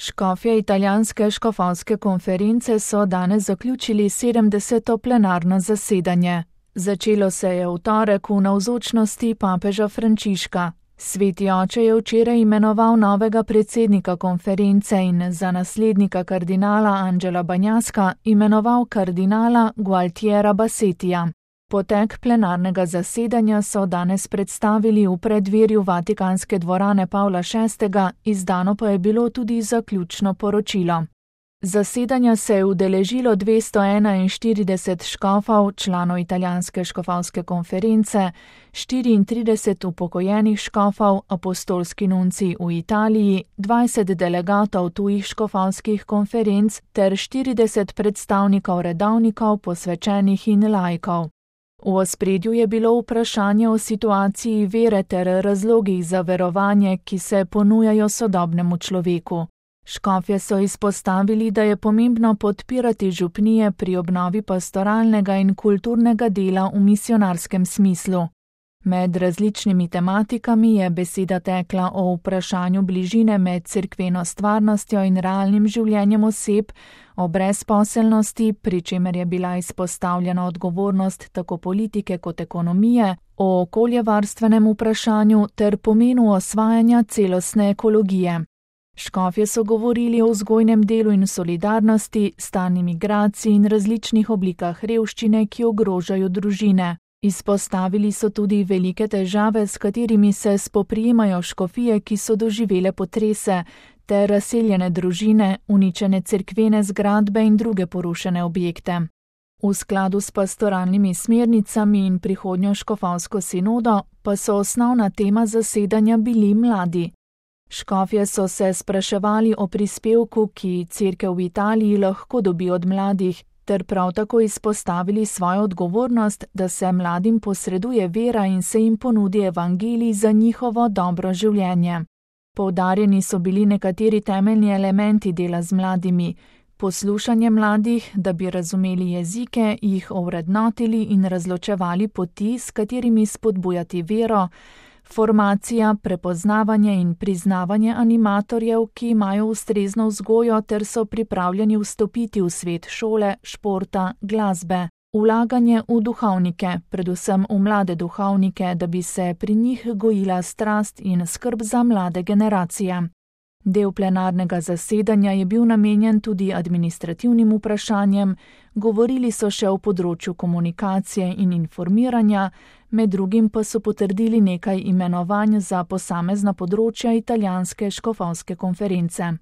Škofje italijanske škofovske konference so danes zaključili 70. plenarno zasedanje. Začelo se je v torek v navzočnosti papeža Frančiška. Sveti oče je včeraj imenoval novega predsednika konference in za naslednika kardinala Angela Bagnaska imenoval kardinala Gualtiera Bassettija. Potek plenarnega zasedanja so danes predstavili v preddverju Vatikanske dvorane Pavla VI, izdano pa je bilo tudi zaključno poročilo. Zasedanja se je udeležilo 241 škofov, članov italijanske škofovske konference, 34 upokojenih škofov, apostolski nunci v Italiji, 20 delegatov tujih škofovskih konferenc ter 40 predstavnikov redovnikov, posvečenih in laikov. V ospredju je bilo vprašanje o situaciji vere ter razlogih za verovanje, ki se ponujajo sodobnemu človeku. Škofje so izpostavili, da je pomembno podpirati župnije pri obnovi pastoralnega in kulturnega dela v misionarskem smislu. Med različnimi tematikami je beseda tekla o vprašanju bližine med cerkveno stvarnostjo in realnim življenjem oseb, o brezposelnosti, pri čemer je bila izpostavljena odgovornost tako politike kot ekonomije, o okoljevarstvenem vprašanju ter pomenu osvajanja celostne ekologije. Škofje so govorili o vzgojnem delu in solidarnosti, stanju migracij in različnih oblikah revščine, ki ogrožajo družine. Izpostavili so tudi velike težave, s katerimi se spoprijemajo škofije, ki so doživele potrese, ter razseljene družine, uničene cerkvene zgradbe in druge porušene objekte. V skladu s pastoralnimi smernicami in prihodnjo škofovsko sinodo pa so osnovna tema zasedanja bili mladi. Škofje so se spraševali o prispevku, ki cerkev v Italiji lahko dobi od mladih, ter prav tako izpostavili svojo odgovornost, da se mladim posreduje vera in se jim ponudi evangelij za njihovo dobro življenje. Poudarjeni so bili nekateri temeljni elementi dela z mladimi: poslušanje mladih, da bi razumeli jezike, jih ovrednotili in razločevali poti, s katerimi spodbujati vero, formacija, prepoznavanje in priznavanje animatorjev, ki imajo ustrezno vzgojo ter so pripravljeni vstopiti v svet šole, športa, glasbe, vlaganje v duhovnike, predvsem v mlade duhovnike, da bi se pri njih gojila strast in skrb za mlade generacije. Del plenarnega zasedanja je bil namenjen tudi administrativnim vprašanjem, govorili so še o področju komunikacije in informiranja, med drugim pa so potrdili nekaj imenovanj za posamezna področja italijanske škofovske konference.